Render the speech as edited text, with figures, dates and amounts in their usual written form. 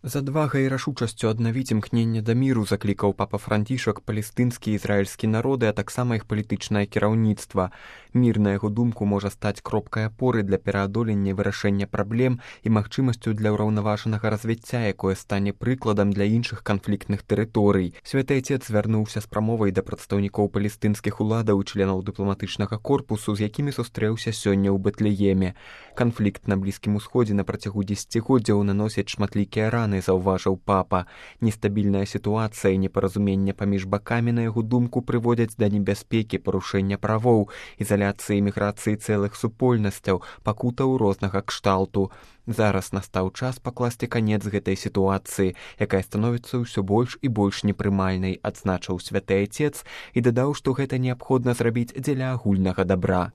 З адвагай і рашучасцю аднавіць імкненне да міру заклікаў папа Францішак палестынскі і ізраільскі народы, а таксама іх палітычнае кіраўніцтва. Мір, на яго думку, можа стаць кропкай апоры для пераадолення і вырашэння праблем і магчымасцю для ўраўнаважанага развіцця, якое стане прыкладам для іншых канфліктных тэрыторый. Святы Айцец звярнуўся з прамовай да прадстаўнікоў палестынскіх уладаў і членаў дыпламатычнага корпусу, з якімі сустрэўся сёння ў Бэтлееме. Канфлікт на Блізкім Усходзе на працягу дзесяцігоддзяў наносіць шматлікія раны, заўважыў папа. Нестабільная сітуацыя і непаразуменне паміж бакамі, на яго думку, прыводзяць да небяспекі парушэння правоў, ізаляцыі і міграцыі цэлых супольнасцяў, пакутаў рознага кшталту. Зараз настаў час пакласці канец гэтай сітуацыі, якая становіцца ўсё больш і больш непрымальнай, адзначыў святы Айцец і дадаў, што гэта неабходна зрабіць дзеля агульнага дабра.